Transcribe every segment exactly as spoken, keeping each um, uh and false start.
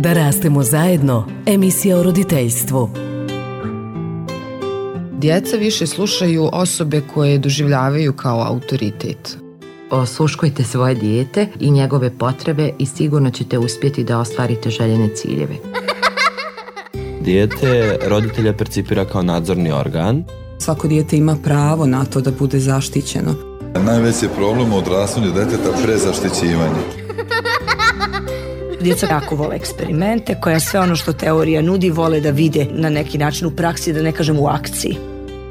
Da rastemo zajedno, emisija o roditeljstvu. Djeca više slušaju osobe koje doživljavaju kao autoritet. Osluškujte svoje dijete i njegove potrebe i sigurno ćete uspjeti da ostvarite željene ciljeve. Dijete roditelja percipira kao nadzorni organ. Svako dijete ima pravo na to da bude zaštićeno. Najveći problem u odrastanju djeteta prezaštićivanje. Djeca jako vole eksperimente, koja sve ono što teorija nudi vole da vide na neki način u praksi, da ne kažem u akciji.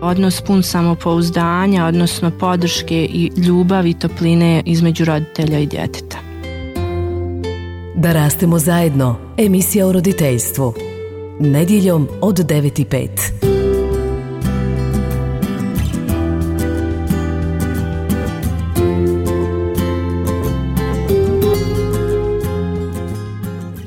Odnos pun samopouzdanja, odnosno podrške i ljubavi i topline između roditelja i djeteta. Da rastemo zajedno, emisija o roditeljstvu. Nedjeljom od devet i pet.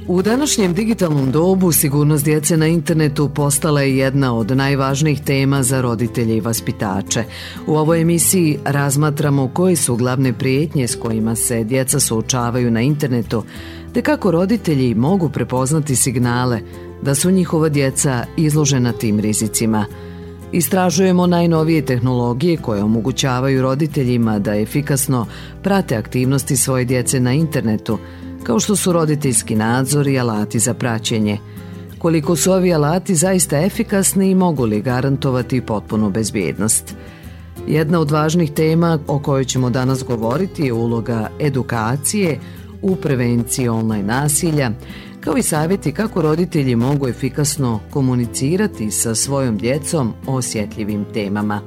U današnjem digitalnom dobu sigurnost djece na internetu postala je jedna od najvažnijih tema za roditelje i vaspitače. U ovoj emisiji razmatramo koje su glavne prijetnje s kojima se djeca suočavaju na internetu, te kako roditelji mogu prepoznati signale da su njihova djeca izložena tim rizicima. Istražujemo najnovije tehnologije koje omogućavaju roditeljima da efikasno prate aktivnosti svoje djece na internetu, kao što su roditeljski nadzor i alati za praćenje. Koliko su ovi alati zaista efikasni i mogu li garantovati potpunu bezbjednost? Jedna od važnih tema o kojoj ćemo danas govoriti je uloga edukacije u prevenciji online nasilja, kao i savjeti kako roditelji mogu efikasno komunicirati sa svojom djecom o osjetljivim temama.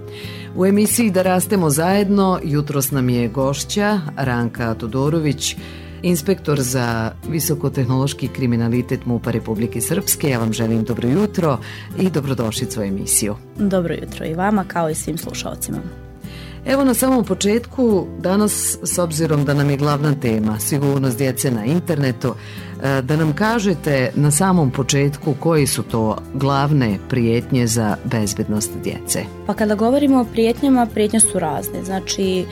U emisiji Da rastemo zajedno jutros nam je gošća Ranka Todorović, inspektor za visokotehnološki kriminalitet MUP-a Republike Srpske. Ja vam želim dobro jutro i dobrodošlicu u emisiju. Dobro jutro i vama kao i svim slušalcima. Evo na samom početku, danas s obzirom da nam je glavna tema sigurnost djece na internetu, da nam kažete na samom početku koji su to glavne prijetnje za bezbednost djece. Pa kada govorimo o prijetnjama, prijetnje su razne. Znači,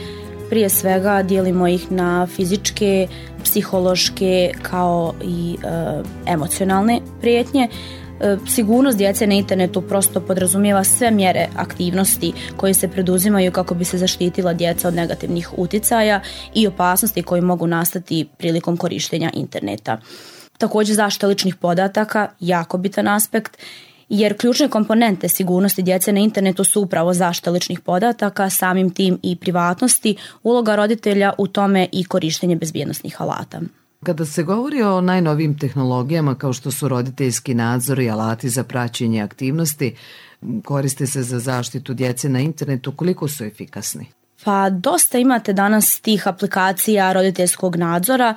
prije svega dijelimo ih na fizičke, psihološke kao i e, emocionalne prijetnje. E, sigurnost djece na internetu prosto podrazumijeva sve mjere aktivnosti koje se preduzimaju kako bi se zaštitila djeca od negativnih uticaja i opasnosti koje mogu nastati prilikom korištenja interneta. Također zaštita ličnih podataka, jako bitan aspekt, jer ključne komponente sigurnosti djece na internetu su upravo zaštita ličnih podataka, samim tim i privatnosti, uloga roditelja u tome i korištenje bezbjednosnih alata. Kada se govori o najnovijim tehnologijama kao što su roditeljski nadzor i alati za praćenje aktivnosti, koriste se za zaštitu djece na internetu, koliko su efikasni? Pa dosta imate danas tih aplikacija roditeljskog nadzora,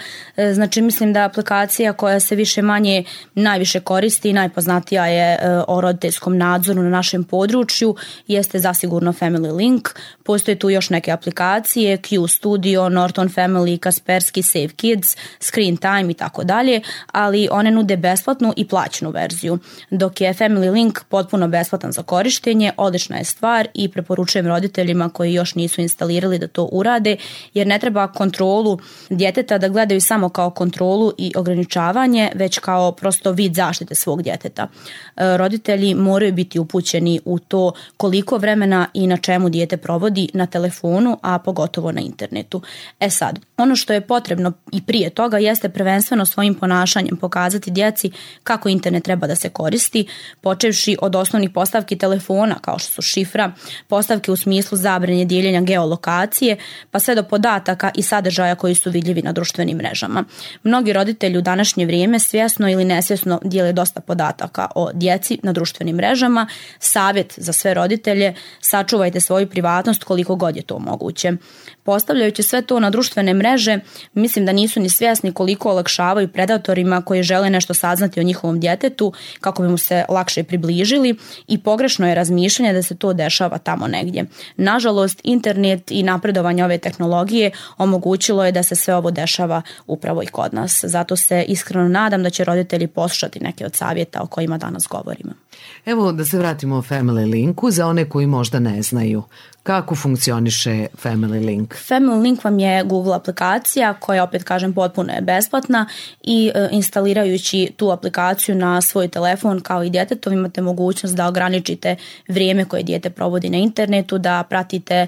znači mislim da aplikacija koja se više manje najviše koristi i najpoznatija je o roditeljskom nadzoru na našem području jeste zasigurno Family Link. Postoje tu još neke aplikacije, Q Studio, Norton Family, Kaspersky, Save Kids, Screen Time i tako dalje, ali one nude besplatnu i plaćenu verziju, dok je Family Link potpuno besplatan za korištenje, odlična je stvar i preporučujem roditeljima koji još nisu instalirali da to urade, jer ne treba kontrolu djeteta da gledaju samo kao kontrolu i ograničavanje, već kao prosto vid zaštite svog djeteta. Roditelji moraju biti upućeni u to koliko vremena i na čemu dijete provodi na telefonu, a pogotovo na internetu. E sad, ono što je potrebno i prije toga jeste prvenstveno svojim ponašanjem pokazati djeci kako internet treba da se koristi, počevši od osnovnih postavki telefona kao što su šifra, postavke u smislu zabrane dijeljenja geolokacije, pa sve do podataka i sadržaja koji su vidljivi na društvenim mrežama. Mnogi roditelji u današnje vrijeme svjesno ili nesvjesno dijele dosta podataka o djeci na društvenim mrežama. Savjet za sve roditelje: sačuvajte svoju privatnost koliko god je to moguće. Postavljajući sve to na društvene mreže, mislim da nisu ni svjesni koliko olakšavaju predatorima koji žele nešto saznati o njihovom djetetu kako bi mu se lakše približili, i pogrešno je razmišljanje da se to dešava tamo negdje. Nažalost, internet i napredovanje ove tehnologije omogućilo je da se sve ovo dešava upravo i kod nas. Zato se iskreno nadam da će roditelji poslušati neke od savjeta o kojima danas govorimo. Evo da se vratimo o Family Linku za one koji možda ne znaju. Kako funkcioniše Family Link? Family Link vam je Google aplikacija koja, opet kažem, potpuno je besplatna i e, instalirajući tu aplikaciju na svoj telefon kao i djetetov imate mogućnost da ograničite vrijeme koje dijete provodi na internetu, da pratite e,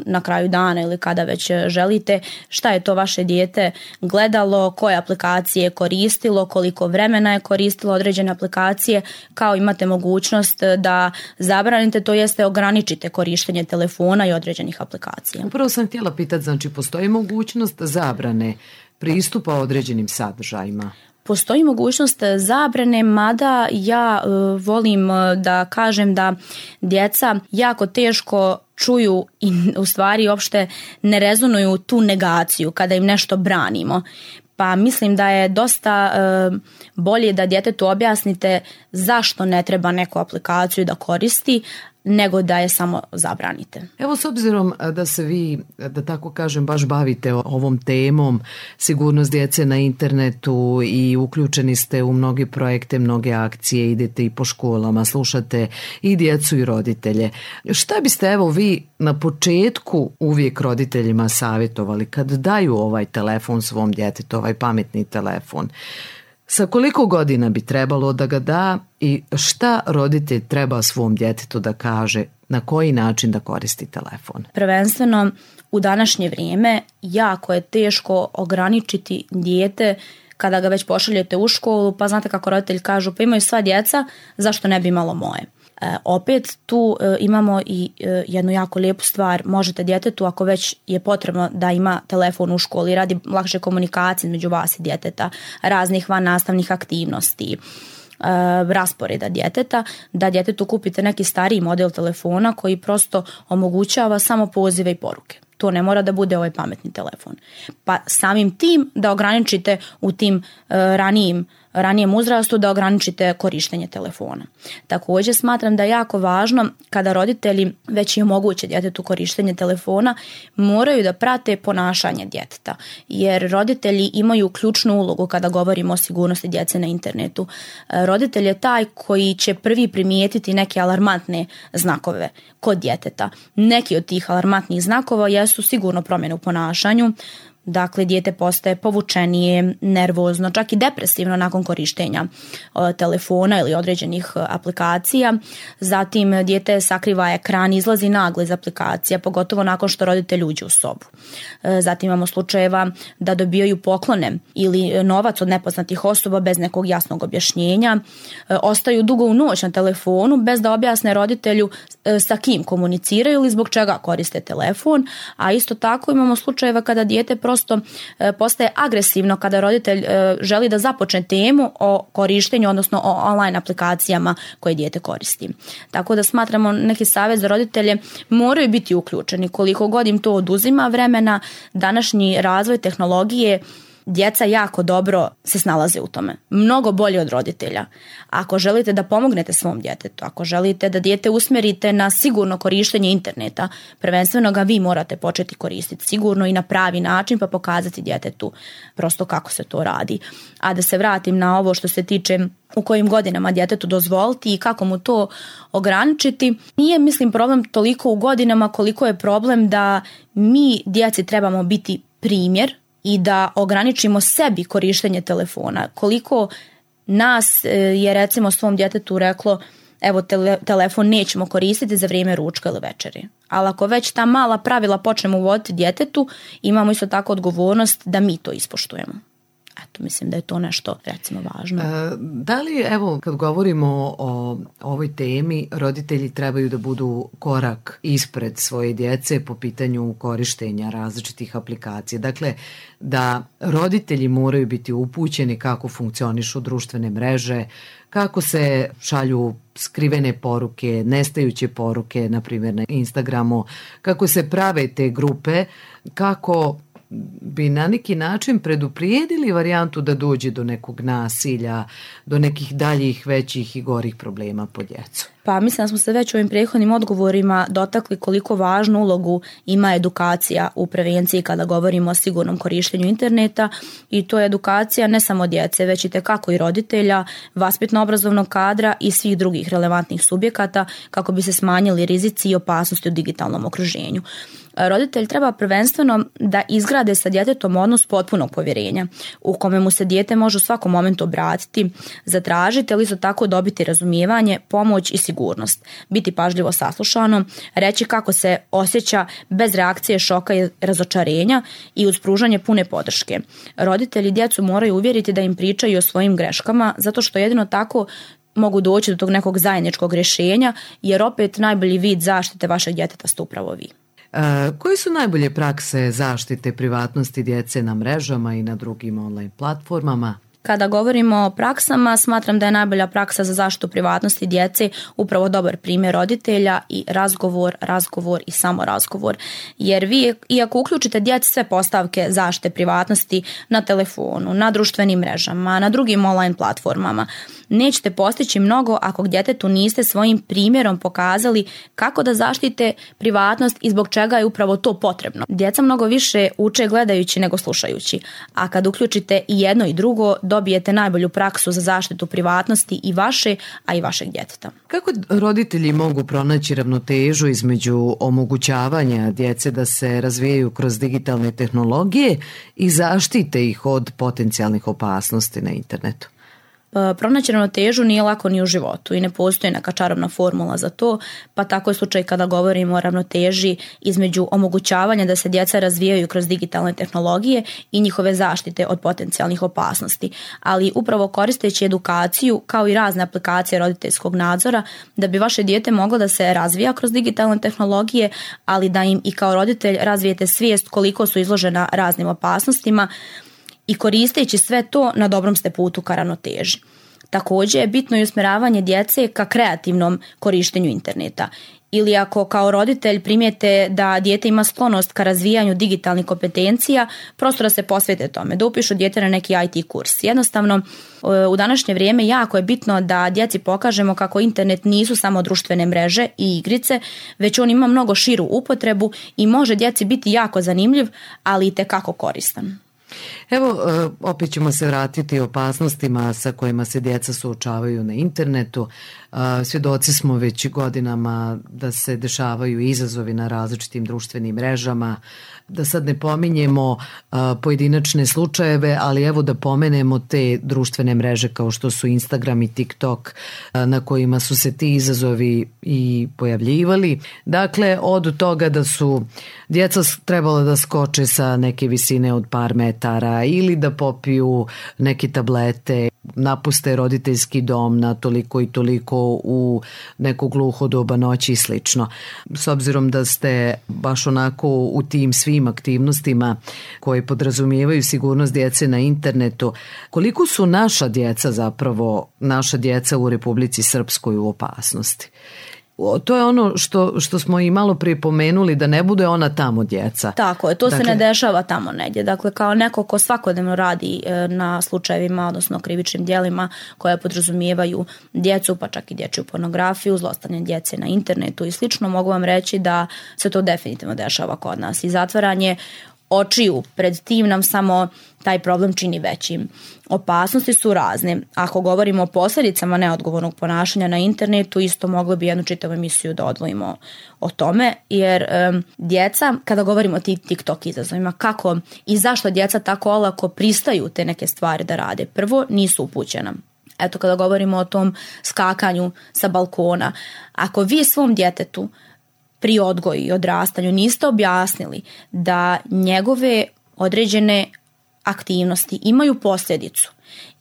na kraju dana ili kada već želite šta je to vaše dijete gledalo, koje aplikacije je koristilo, koliko vremena je koristilo određene aplikacije, kao imate mogućnost da zabranite, to jeste ograničite korištenje telefona i određenih aplikacija. Upravo sam htjela pitati, znači postoji mogućnost zabrane pristupa određenim sadržajima? Postoji mogućnost zabrane, mada ja uh, volim uh, da kažem da djeca jako teško čuju i u stvari uopšte ne rezonuju tu negaciju kada im nešto branimo. Pa mislim da je dosta uh, bolje da djetetu objasnite zašto ne treba neku aplikaciju da koristi, nego da je samo zabranite. Evo, s obzirom da se vi, da tako kažem, baš bavite ovom temom, sigurnost djece na internetu i uključeni ste u mnoge projekte, mnoge akcije, idete i po školama, slušate i djecu i roditelje. Šta biste, evo, vi na početku uvijek roditeljima savjetovali kad daju ovaj telefon svom djetetu, ovaj pametni telefon? Sa koliko godina bi trebalo da ga da i šta roditelj treba svom djetetu da kaže, na koji način da koristi telefon? Prvenstveno u današnje vrijeme jako je teško ograničiti dijete kada ga već pošaljete u školu, pa znate kako roditelji kažu, pa imaju sva djeca, zašto ne bi imalo moje? E, opet tu e, imamo i e, jednu jako lijepu stvar, možete djetetu ako već je potrebno da ima telefon u školi radi lakše komunikacije između vas i djeteta, raznih van nastavnih aktivnosti, e, rasporeda djeteta, da djetetu kupite neki stariji model telefona koji prosto omogućava samo pozive i poruke. To ne mora da bude ovaj pametni telefon. Pa samim tim da ograničite u tim uh, ranijim ranijem uzrastu da ograničite korištenje telefona. Također smatram da je jako važno kada roditelji već i omoguće djetetu korištenje telefona, moraju da prate ponašanje djeteta, jer roditelji imaju ključnu ulogu kada govorimo o sigurnosti djece na internetu. Roditelj je taj koji će prvi primijetiti neke alarmantne znakove kod djeteta. Neki od tih alarmantnih znakova jesu sigurno promjene u ponašanju. Dakle, dijete postaje povučenije, nervozno, čak i depresivno nakon korištenja o, telefona ili određenih aplikacija. Zatim dijete sakriva ekran, izlazi naglo iz aplikacija, pogotovo nakon što roditelj uđe u sobu. E, zatim imamo slučajeva da dobijaju poklone ili novac od nepoznatih osoba bez nekog jasnog objašnjenja. E, ostaju dugo u noć na telefonu bez da objasne roditelju e, sa kim komuniciraju ili zbog čega koriste telefon. A isto tako imamo slučajeva kada dijete prosto e, postaje agresivno kada roditelj e, želi da započne temu o korištenju, odnosno o online aplikacijama koje dijete koristi. Tako da smatramo neki savjet za roditelje moraju biti uključeni. Koliko god im to oduzima vremena, današnji razvoj tehnologije, djeca jako dobro se snalaze u tome. Mnogo bolje od roditelja. Ako želite da pomognete svom djetetu, ako želite da dijete usmjerite na sigurno korištenje interneta, prvenstveno ga vi morate početi koristiti sigurno i na pravi način, pa pokazati djetetu prosto kako se to radi. A da se vratim na ovo što se tiče u kojim godinama djetetu dozvoliti i kako mu to ograničiti, nije, mislim, problem toliko u godinama koliko je problem da mi djeci trebamo biti primjer i da ograničimo sebi korištenje telefona. Koliko nas je recimo svom djetetu reklo, evo tele, telefon nećemo koristiti za vrijeme ručka ili večeri. Ali ako već ta mala pravila počnemo uvoditi djetetu, imamo isto tako odgovornost da mi to ispoštujemo. Eto, mislim da je to nešto, recimo, važno. E, da li, evo, kad govorimo o ovoj temi, roditelji trebaju da budu korak ispred svoje djece po pitanju korištenja različitih aplikacija. Dakle, da roditelji moraju biti upućeni kako funkcionišu društvene mreže, kako se šalju skrivene poruke, nestajuće poruke, na primjer na Instagramu, kako se prave te grupe, kako bi na neki način preduprijedili varijantu da dođe do nekog nasilja, do nekih daljih, većih i gorih problema po djecu? Pa mislim da smo se već u ovim prethodnim odgovorima dotakli koliko važnu ulogu ima edukacija u prevenciji kada govorimo o sigurnom korištenju interneta, i to je edukacija ne samo djece, već i tekako i roditelja, vaspitno-obrazovnog kadra i svih drugih relevantnih subjekata kako bi se smanjili rizici i opasnosti u digitalnom okruženju. Roditelj treba prvenstveno da izgrade sa djetetom odnos potpunog povjerenja u kome mu se dijete može u svakom momentu obratiti, zatražiti, ali isto tako dobiti razumijevanje, pomoć i sigurnost, biti pažljivo saslušano, reći kako se osjeća bez reakcije šoka i razočarenja i uz pružanje pune podrške. Roditelji djecu moraju uvjeriti da im pričaju o svojim greškama, zato što jedino tako mogu doći do tog nekog zajedničkog rješenja, jer opet najbolji vid zaštite vašeg djeteta ste upravo vi. E, koje su najbolje prakse zaštite privatnosti djece na mrežama i na drugim online platformama? Kada govorimo o praksama, smatram da je najbolja praksa za zaštitu privatnosti djece upravo dobar primjer roditelja i razgovor, razgovor i samo razgovor. Jer vi, iako uključite djeci sve postavke zaštite privatnosti na telefonu, na društvenim mrežama, na drugim online platformama, nećete postići mnogo ako djetetu niste svojim primjerom pokazali kako da zaštite privatnost i zbog čega je upravo to potrebno. Djeca mnogo više uče gledajući nego slušajući, a kad uključite i jedno i drugo, dobijete najbolju praksu za zaštitu privatnosti i vaše, a i vašeg djeteta. Kako roditelji mogu pronaći ravnotežu između omogućavanja djece da se razvijaju kroz digitalne tehnologije i zaštite ih od potencijalnih opasnosti na internetu? Pronaći ravnotežu nije lako ni u životu i ne postoji neka čarobna formula za to, pa tako je slučaj kada govorimo o ravnoteži između omogućavanja da se djeca razvijaju kroz digitalne tehnologije i njihove zaštite od potencijalnih opasnosti. Ali upravo koristeći edukaciju kao i razne aplikacije roditeljskog nadzora da bi vaše dijete moglo da se razvija kroz digitalne tehnologije, ali da im i kao roditelj razvijete svijest koliko su izložena raznim opasnostima, i koristeći sve to na dobrom ste putu ka ravnoteži. Također je bitno i usmjeravanje djece ka kreativnom korištenju interneta. Ili ako kao roditelj primijete da dijete ima sklonost ka razvijanju digitalnih kompetencija, prosto da se posvete tome, da upišu dijete na neki I T kurs. Jednostavno, u današnje vrijeme jako je bitno da djeci pokažemo kako internet nisu samo društvene mreže i igrice, već on ima mnogo širu upotrebu i može djeci biti jako zanimljiv, ali i tekako koristan. Evo, opet ćemo se vratiti opasnostima sa kojima se djeca suočavaju na internetu. Svjedoci smo već godinama da se dešavaju izazovi na različitim društvenim mrežama, da sad ne pominjemo pojedinačne slučajeve, ali evo da pomenemo te društvene mreže kao što su Instagram i TikTok, na kojima su se ti izazovi i pojavljivali. Dakle, od toga da su djeca trebala da skoče sa neke visine od par metara ili da popiju neke tablete, napuste roditeljski dom na toliko i toliko u neko gluho doba noći i slično. S obzirom da ste baš onako u tim svim aktivnostima koje podrazumijevaju sigurnost djece na internetu, koliko su naša djeca zapravo, naša djeca u Republici Srpskoj u opasnosti? To je ono što, što smo i malo prije pomenuli, da ne bude ona tamo djeca. Tako je, to dakle, se ne dešava tamo negdje. Dakle, kao neko ko svakodnevno radi na slučajevima, odnosno krivičnim djelima koje podrazumijevaju djecu, pa čak i dječju pornografiju, zlostavljanje djece na internetu i slično, mogu vam reći da se to definitivno dešava kod nas. I zatvaranje očiju pred tim nam samo taj problem čini većim. Opasnosti su razne. Ako govorimo o posljedicama neodgovornog ponašanja na internetu, isto mogli bi jednu čitavu emisiju da odvojimo o tome, jer um, djeca, kada govorimo o tim TikTok izazovima, kako i zašto djeca tako olako pristaju te neke stvari da rade? Prvo, nisu upućena. Eto, kada govorimo o tom skakanju sa balkona, ako vi svom djetetu pri odgoju i odrastanju niste objasnili da njegove određene aktivnosti imaju posljedicu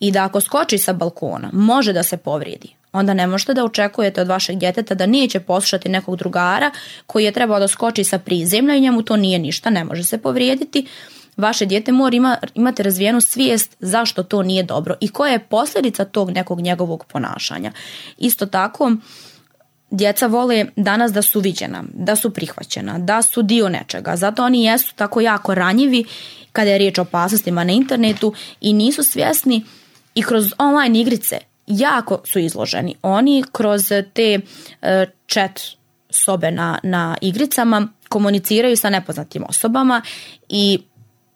i da ako skoči sa balkona može da se povrijedi, onda ne možete da očekujete od vašeg djeteta da neće poslušati nekog drugara koji je trebao da skoči sa prizemlja i njemu to nije ništa, ne može se povrijediti. Vaše dijete mora ima, imate razvijenu svijest zašto to nije dobro i koja je posljedica tog nekog njegovog ponašanja. Isto tako, djeca vole danas da su viđena, da su prihvaćena, da su dio nečega. Zato oni jesu tako jako ranjivi kada je riječ o opasnostima na internetu i nisu svjesni i kroz online igrice jako su izloženi. Oni kroz te e, chat sobe na, na igricama komuniciraju sa nepoznatim osobama i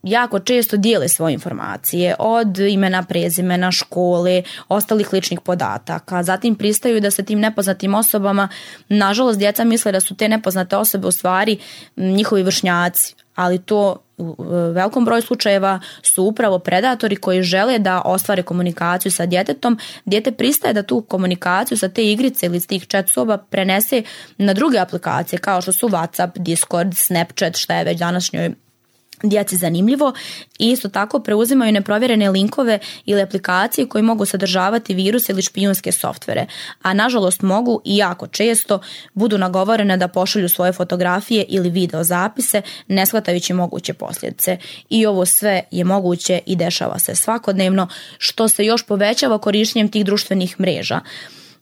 jako često dijele svoje informacije od imena, prezimena, škole, ostalih ličnih podataka. Zatim pristaju da se tim nepoznatim osobama, nažalost djeca misle da su te nepoznate osobe u stvari njihovi vršnjaci, ali to u velikom broju slučajeva su upravo predatori koji žele da ostvare komunikaciju sa djetetom. Dijete pristaje da tu komunikaciju sa te igrice ili s tih chat soba prenese na druge aplikacije kao što su WhatsApp, Discord, Snapchat, šta je već današnjoj djeci zanimljivo, i isto tako preuzimaju neprovjerene linkove ili aplikacije koji mogu sadržavati viruse ili špijunske softvere, a nažalost mogu i jako često budu nagovorene da pošalju svoje fotografije ili video zapise ne shvatajući moguće posljedice. I ovo sve je moguće i dešava se svakodnevno, što se još povećava korištenjem tih društvenih mreža.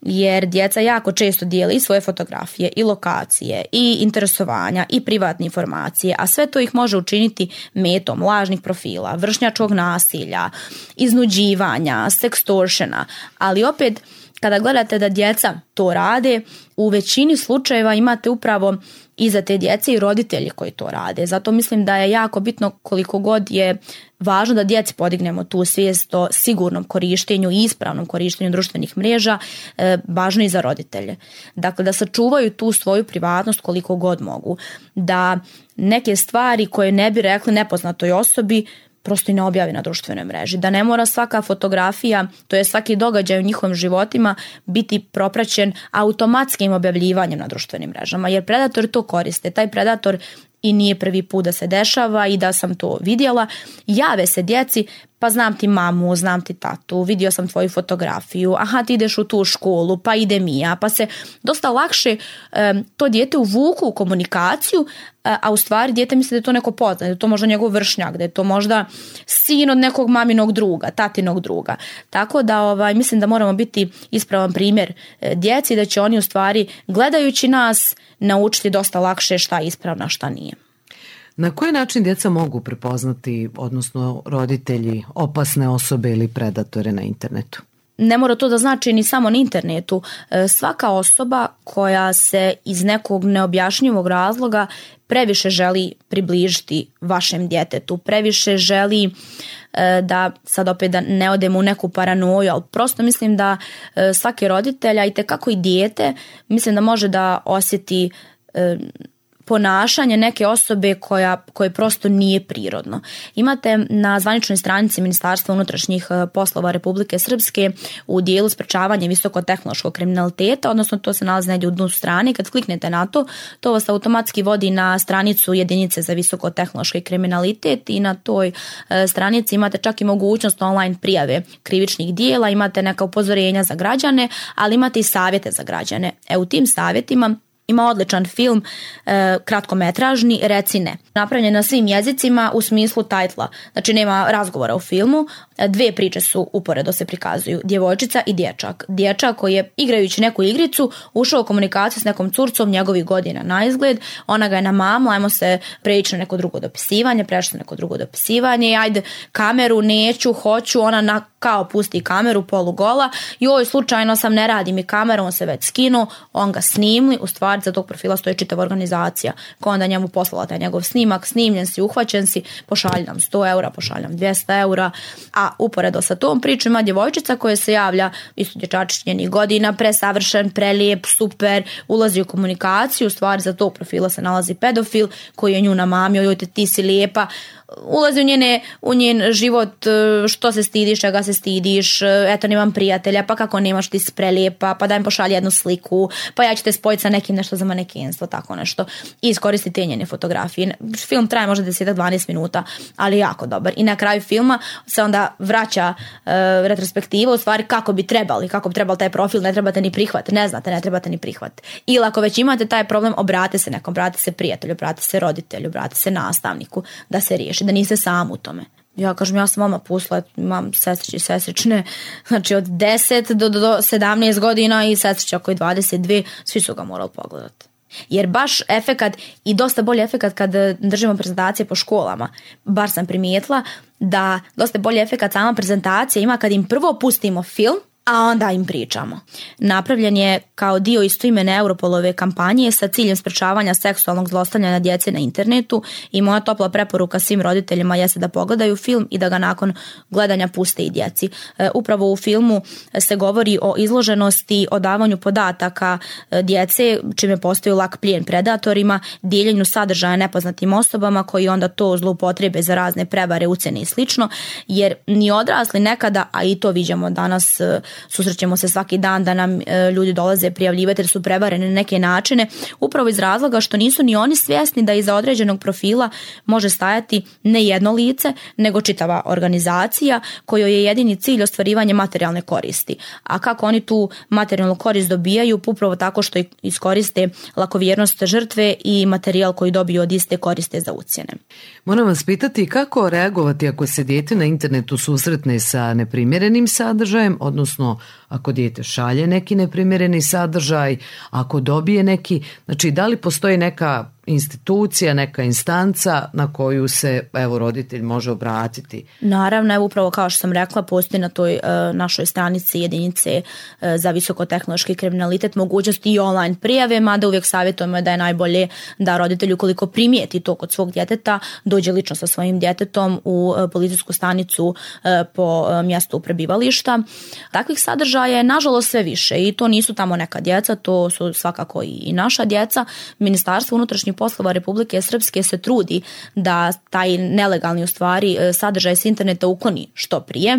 Jer djeca jako često dijele i svoje fotografije i lokacije i interesovanja i privatne informacije, a sve to ih može učiniti metom lažnih profila, vršnjačkog nasilja, iznuđivanja, sextortiona, ali opet kada gledate da djeca to rade, u većini slučajeva imate upravo iza te djece i roditelji koji to rade. Zato mislim da je jako bitno, koliko god je važno da djeci podignemo tu svijest o sigurnom korištenju i ispravnom korištenju društvenih mreža, e, važno i za roditelje. Dakle, da sačuvaju tu svoju privatnost koliko god mogu. Da neke stvari koje ne bi rekli nepoznatoj osobi prosto i ne objavi na društvenoj mreži. Da ne mora svaka fotografija, to je svaki događaj u njihovim životima biti propraćen automatskim objavljivanjem na društvenim mrežama, jer predatori to koriste. Taj predator i nije prvi put da se dešava i da sam to vidjela. Jave se djeci, pa znam ti mamu, znam ti tatu, vidio sam tvoju fotografiju, aha ti ideš u tu školu, pa idem i ja, pa se dosta lakše um, to dijete uvuku u komunikaciju, a, a u stvari dijete misli da je to neko poznat, da je to možda njegov vršnjak, da je to možda sin od nekog maminog druga, tatinog druga. Tako da ovaj, mislim da moramo biti ispravan primjer e, djeci, da će oni u stvari gledajući nas naučiti dosta lakše šta je ispravno, šta nije. Na koji način djeca mogu prepoznati, odnosno roditelji, opasne osobe ili predatore na internetu? Ne mora to da znači ni samo na internetu. Svaka osoba koja se iz nekog neobjašnjivog razloga previše želi približiti vašem djetetu, previše želi da, sad opet da ne odemo u neku paranoju, ali prosto mislim da svaki roditelj, a itekako i dijete, mislim da može da osjeti ponašanje neke osobe koja, koje prosto nije prirodno. Imate na zvaničnoj stranici Ministarstva unutrašnjih poslova Republike Srpske u dijelu sprečavanja visokotehnološkog kriminaliteta, odnosno to se nalazi negdje u dnu strane, kad kliknete na to, to vas automatski vodi na stranicu jedinice za visokotehnološki kriminalitet i na toj stranici imate čak i mogućnost online prijave krivičnih dijela, imate neka upozorenja za građane, ali imate i savjete za građane. E u tim savjetima ima odličan film, e, kratkometražni, Reci ne. Napravljen na svim jezicima u smislu tajtla. Znači nema razgovora u filmu. E, dvije priče su uporedo se prikazuju. Djevojčica i dječak. Dječak koji je igrajući neku igricu ušao u komunikaciju s nekom curcom njegovih godina na izgled. Ona ga je na mamu, ajmo se preći na neko drugo dopisivanje, prešli na neko drugo dopisivanje. Ajde, kameru neću, hoću, ona na, kao pusti kameru polugola. Joj, slučajno sam, ne radi mi kamera, on se već skinuo, on ga snimli, u stvari za tog profila stoji čitava organizacija koja onda njemu poslala taj njegov snimak, snimljen si, uhvaćen si, pošalji nam sto eura, pošalji nam dvjesto eura, a uporedo sa tom pričom ima djevojčica koja se javlja, isto dječačić njenih godina, presavršen, prelijep, super, ulazi u komunikaciju, u stvari za tog profila se nalazi pedofil koji je nju namamio, joj te ti si lijepa, ulazi u, njene, u njen život, što se stidiš, čega se stidiš, eto nemam prijatelja, pa kako nemaš, ti si prelijepa, pa daj mi pošalji jednu sliku, pa ja ću te spojiti sa nekim nešto za manekenstvo, tako nešto, i iskoristiti te njene fotografije. Film traje možda deset do dvanaest minuta, ali jako dobar. I na kraju filma se onda vraća uh, retrospektiva, u stvari kako bi trebali, kako bi trebali taj profil, ne trebate ni prihvat, ne znate, ne trebate ni prihvat. Ili ako već imate taj problem, obrate se nekom, obrate se prijatelju, obrate se roditelju, obrate se nastavniku da se riješi znači da niste sam u tome. Ja kažem, ja sam vama pustila, imam sestriće i sestrične, znači od deset do, do sedamnaest godina i sestrića koji dvadeset dve, svi su ga morali pogledati. Jer baš efekat i dosta bolji efekat kad držimo prezentacije po školama, bar sam primijetila da dosta bolji efekat sama prezentacija ima kad im prvo pustimo film, a onda im pričamo. Napravljen je kao dio istoimene Europolove kampanje sa ciljem sprečavanja seksualnog zlostavljanja djece na internetu i moja topla preporuka svim roditeljima jeste da pogledaju film i da ga nakon gledanja puste i djeci. E, upravo u filmu se govori o izloženosti, o davanju podataka djece, čime postoji lak plijen predatorima, dijeljenju sadržaja nepoznatim osobama koji onda to zloupotrebe za razne prevare, ucjene i slično, jer ni odrasli nekada, a i to viđamo danas, susrećemo se svaki dan da nam e, ljudi dolaze prijavljivati jer su prevareni na neke načine, upravo iz razloga što nisu ni oni svjesni da iza određenog profila može stajati ne jedno lice, nego čitava organizacija kojoj je jedini cilj ostvarivanje materijalne koristi. A kako oni tu materijalnu korist dobijaju? Upravo tako što iskoriste lakovjernost žrtve i materijal koji dobiju od iste koriste za ucjene. Moram vas pitati kako reagovati ako se dijete na internetu susretne sa neprimjerenim sadržajem, odnosno ako dijete šalje neki neprimjereni sadržaj, ako dobije neki, znači da li postoji neka institucija, neka instanca na koju se evo roditelj može obratiti? Naravno, evo upravo kao što sam rekla, postoji na toj uh, našoj stranici jedinice uh, za visokotehnološki kriminalitet mogućnosti i online prijave, mada uvijek savjetujemo da je najbolje da roditelj ukoliko primijeti to kod svog djeteta dođe lično sa svojim djetetom u uh, policijsku stanicu uh, po uh, mjestu prebivališta. Takvih sadržaja je nažalost sve više i to nisu tamo neka djeca, to su svakako i naša djeca. Ministarstvo unutrašnjih poslova Republike Srpske se trudi da taj nelegalni u stvari sadržaj s interneta ukloni što prije.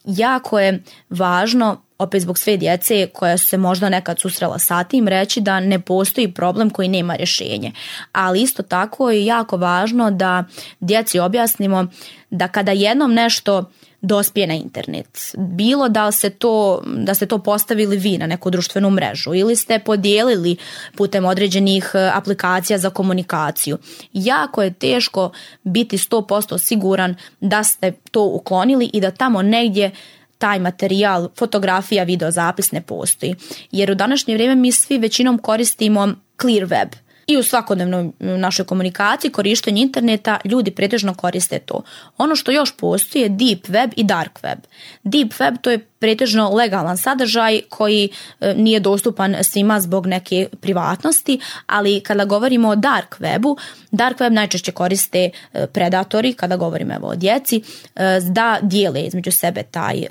Jako je važno, opet zbog sve djece koja su se možda nekad susrela sa tim, reći da ne postoji problem koji nema rješenje. Ali isto tako je jako važno da djeci objasnimo da kada jednom nešto dospije na internet, bilo da se to, da ste to postavili vi na neku društvenu mrežu ili ste podijelili putem određenih aplikacija za komunikaciju, jako je teško biti sto posto siguran da ste to uklonili i da tamo negdje taj materijal, fotografija, video zapis ne postoji. Jer u današnje vrijeme mi svi većinom koristimo clear web. I u svakodnevnoj našoj komunikaciji, korištenju interneta, ljudi pretežno koriste to. Ono što još postoji je deep web i dark web. Deep web to je pretežno legalan sadržaj koji nije dostupan svima zbog neke privatnosti, ali kada govorimo o dark webu, dark web najčešće koriste predatori, kada govorimo evo o djeci, da dijele između sebe taj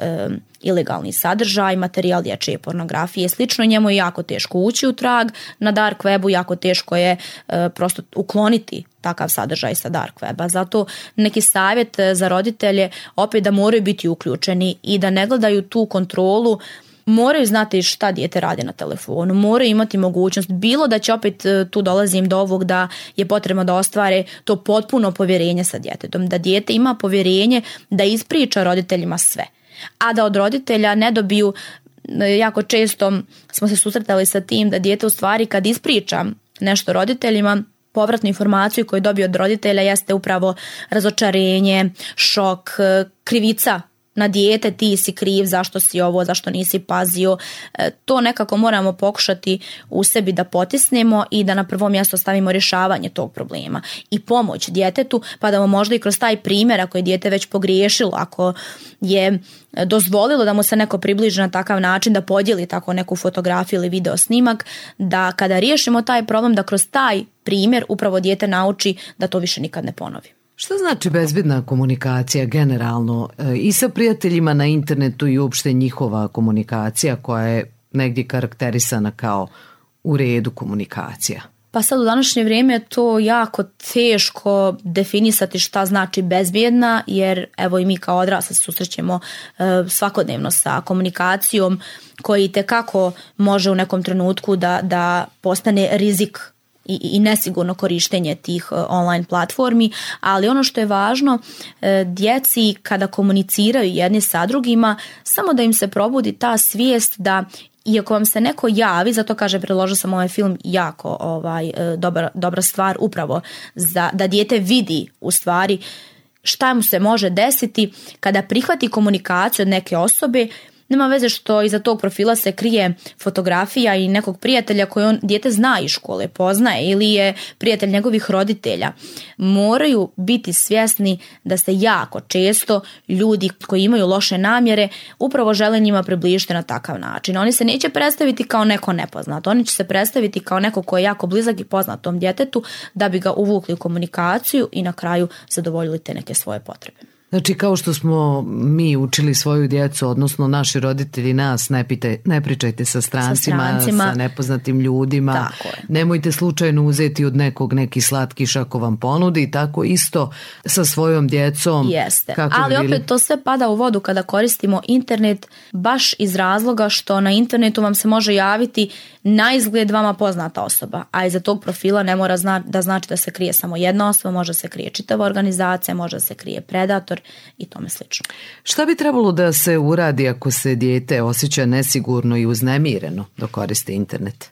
ilegalni sadržaj, materijal dječje pornografije, slično. Njemu je jako teško ući u trag na dark webu, jako teško je e, prosto ukloniti takav sadržaj sa dark weba. Zato neki savjet za roditelje opet da moraju biti uključeni i da ne gledaju tu kontrolu, moraju znati šta dijete radi na telefonu, moraju imati mogućnost, bilo da će opet tu dolazim do ovog da je potrebno da ostvare to potpuno povjerenje sa djetetom, da dijete ima povjerenje da ispriča roditeljima sve. A da od roditelja ne dobiju, jako često smo se susretali sa tim da dijete u stvari kad ispriča nešto roditeljima, povratnu informaciju koju dobije od roditelja jeste upravo razočarenje, šok, krivica na dijete, ti si kriv, zašto si ovo, zašto nisi pazio. To nekako moramo pokušati u sebi da potisnemo i da na prvo mjesto stavimo rješavanje tog problema i pomoć djetetu, pa da mu možda i kroz taj primjer, ako je dijete već pogriješilo, ako je dozvolilo da mu se neko približi na takav način, da podijeli tako neku fotografiju ili video snimak, da kada riješimo taj problem, da kroz taj primjer upravo dijete nauči da to više nikad ne ponovi. Šta znači bezbedna komunikacija generalno i sa prijateljima na internetu i uopšte njihova komunikacija koja je negdje karakterisana kao u redu komunikacija? Pa sad u današnje vrijeme je to jako teško definisati šta znači bezbjedna, jer evo i mi kao odrasli se susrećemo e, svakodnevno sa komunikacijom koji itekako može u nekom trenutku da, da postane rizik i, i nesigurno korištenje tih online platformi, ali ono što je važno, djeci kada komuniciraju jedni sa drugima, samo da im se probudi ta svijest da I ako vam se neko javi, zato kaže, predložio sam ovaj film jako ovaj, dobra, dobra stvar upravo za, da dijete vidi u stvari šta mu se može desiti kada prihvati komunikaciju od neke osobe. Nema veze što iza tog profila se krije fotografija i nekog prijatelja koji on dijete zna iz škole, poznaje ili je prijatelj njegovih roditelja. Moraju biti svjesni da se jako često ljudi koji imaju loše namjere upravo žele njima približiti na takav način. Oni se neće predstaviti kao neko nepoznato, oni će se predstaviti kao neko ko je jako blizak i poznat tom djetetu da bi ga uvukli u komunikaciju i na kraju zadovoljili te neke svoje potrebe. Znači, kao što smo mi učili svoju djecu, odnosno naši roditelji nas, ne, pite, ne pričajte sa strancima, sa strancima, sa nepoznatim ljudima, nemojte slučajno uzeti od nekog neki slatkiš ako vam ponudi, tako isto sa svojom djecom. Jeste, ali opet to sve pada u vodu kada koristimo internet, baš iz razloga što na internetu vam se može javiti na izgled vama poznata osoba, a iza tog profila ne mora zna, da znači da se krije samo jedna osoba, može se krije čitava organizacija, može se krije predator i tome slično. Šta bi trebalo da se uradi ako se dijete osjeća nesigurno i uznemireno dok koriste internet?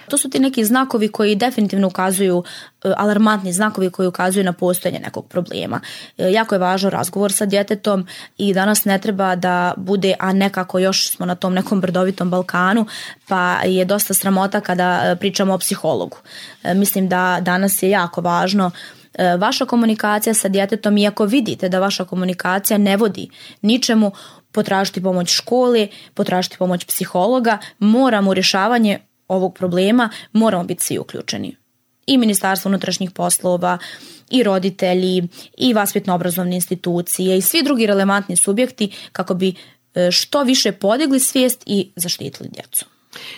To su ti neki znakovi koji definitivno ukazuju, alarmantni znakovi koji ukazuju na postojanje nekog problema. Jako je važan razgovor sa djetetom i danas ne treba da bude, a nekako još smo na tom nekom brdovitom Balkanu, pa je dosta sramota kada pričamo o psihologu. Mislim da danas je jako važno vaša komunikacija sa djetetom, i ako vidite da vaša komunikacija ne vodi ničemu, potražiti pomoć škole, potražiti pomoć psihologa, moramo u rješavanje ovog problema, moramo biti svi uključeni. I Ministarstvo unutrašnjih poslova, i roditelji, i vaspitno-obrazovne institucije, i svi drugi relevantni subjekti kako bi što više podigli svijest i zaštitili djecu.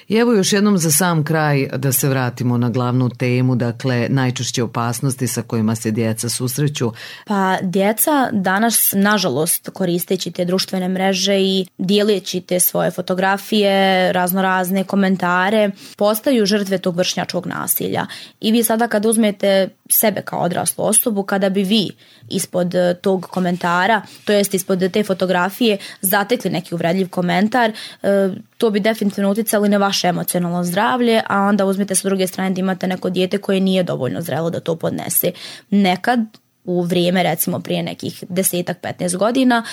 I evo još jednom za sam kraj da se vratimo na glavnu temu, dakle najčešće opasnosti sa kojima se djeca susreću. Pa djeca danas, nažalost, koristeći te društvene mreže i dijeleći te svoje fotografije, raznorazne komentare, postaju žrtve tog vršnjačkog nasilja. I vi sada kad uzmete sebe kao odraslu osobu, kada bi vi ispod tog komentara, to jest ispod te fotografije, zatekli neki uvredljiv komentar, to bi definitivno utjecalo na vaše emocionalno zdravlje, a onda uzmite sa druge strane da imate neko dijete koje nije dovoljno zrelo da to podnese. Nekad u vrijeme, recimo prije nekih desetak, petnaest godina,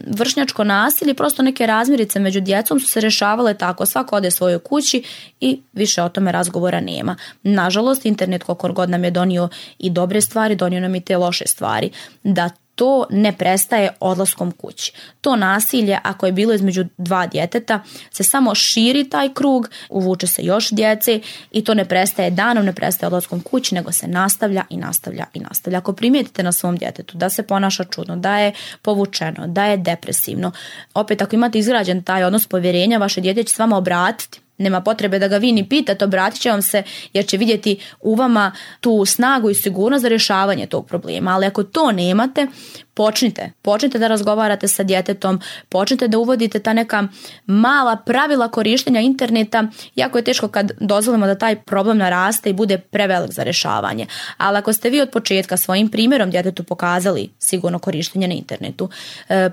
vršnjačko nasilje, prosto neke razmirice među djecom su se rješavale tako, svako ode svojoj kući i više o tome razgovora nema. Nažalost, internet koliko god nam je donio i dobre stvari, donio nam i te loše stvari. Da to ne prestaje odlaskom kući. To nasilje, ako je bilo između dva djeteta, se samo širi taj krug, uvuče se još djece i to ne prestaje danom, ne prestaje odlaskom kući, nego se nastavlja i nastavlja i nastavlja. Ako primijetite na svom djetetu da se ponaša čudno, da je povučeno, da je depresivno, opet ako imate izgrađen taj odnos povjerenja, vaše dijete će s vama obratiti. Nema potrebe da ga vi ni pitate, obratit će vam se jer će vidjeti u vama tu snagu i sigurnost za rješavanje tog problema. Ali ako to nemate, počnite. Počnite da razgovarate sa djetetom, počnite da uvodite ta neka mala pravila korištenja interneta. Jako je teško kad dozvolimo da taj problem naraste i bude prevelik za rješavanje. Ali ako ste vi od početka svojim primjerom djetetu pokazali sigurno korištenje na internetu,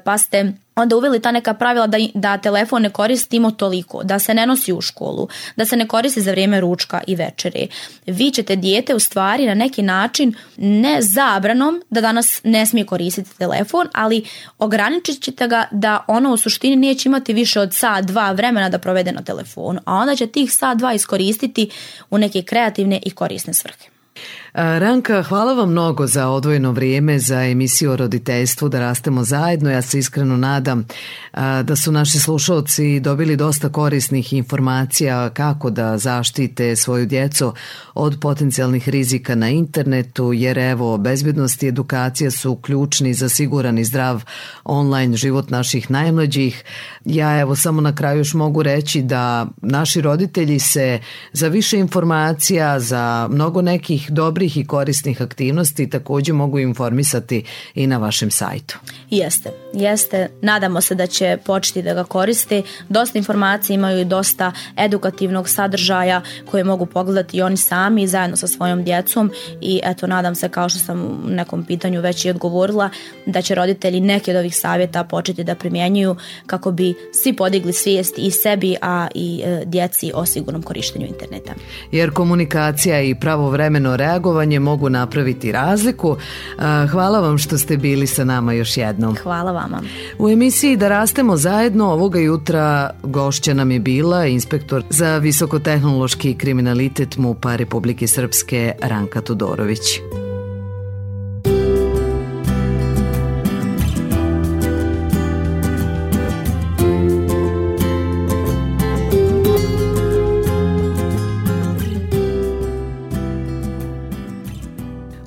pa ste onda uveli ta neka pravila da, da telefon ne koristimo toliko, da se ne nosi u školu, da se ne koristi za vrijeme ručka i večere. Vi ćete dijete u stvari na neki način ne zabranom da danas ne smije koristiti telefon, ali ograničit ćete ga da ono u suštini neće imati više od sat, dva vremena da provede na telefonu, a onda će tih sat, dva iskoristiti u neke kreativne i korisne svrhe. Ranka, hvala vam mnogo za odvojeno vrijeme za emisiju o roditeljstvu Da rastemo zajedno. Ja se iskreno nadam da su naši slušalci dobili dosta korisnih informacija kako da zaštite svoju djecu od potencijalnih rizika na internetu, jer evo, bezbjednost i edukacija su ključni za siguran i zdrav online život naših najmlađih. Ja evo samo na kraju još mogu reći da naši roditelji se za više informacija, za mnogo nekih dobrih novih i korisnih aktivnosti također mogu informisati i na vašem sajtu. Jeste, jeste. Nadamo se da će početi da ga koriste. Dosta informacija imaju i dosta edukativnog sadržaja koje mogu pogledati i oni sami zajedno sa svojom djecom i eto, nadam se, kao što sam u nekom pitanju već i odgovorila, da će roditelji neki od ovih savjeta početi da primjenjuju kako bi svi podigli svijest i sebi, a i e, djeci o sigurnom korištenju interneta. Jer komunikacija i pravovremeno reagovanje mogu napraviti razliku. Hvala vam što ste bili sa nama još jednom. Hvala vama. U emisiji Da rastemo zajedno ovoga jutra gošća nam je bila inspektor za visokotehnološki kriminalitet MUP-a Republike Srpske Ranka Todorović.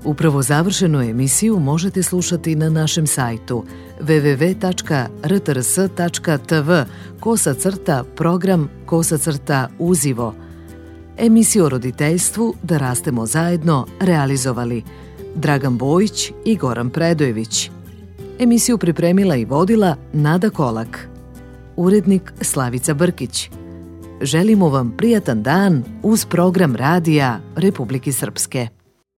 Upravo završenu emisiju možete slušati na našem sajtu w w w tačka r t r s tačka t v kosa crta program kosa crta uzivo. Emisiju o roditeljstvu Da rastemo zajedno realizovali Dragan Bojić i Goran Predojević. Emisiju pripremila i vodila Nada Kolak. Urednik Slavica Brkić. Želimo vam prijatan dan uz program radija Republike Srpske.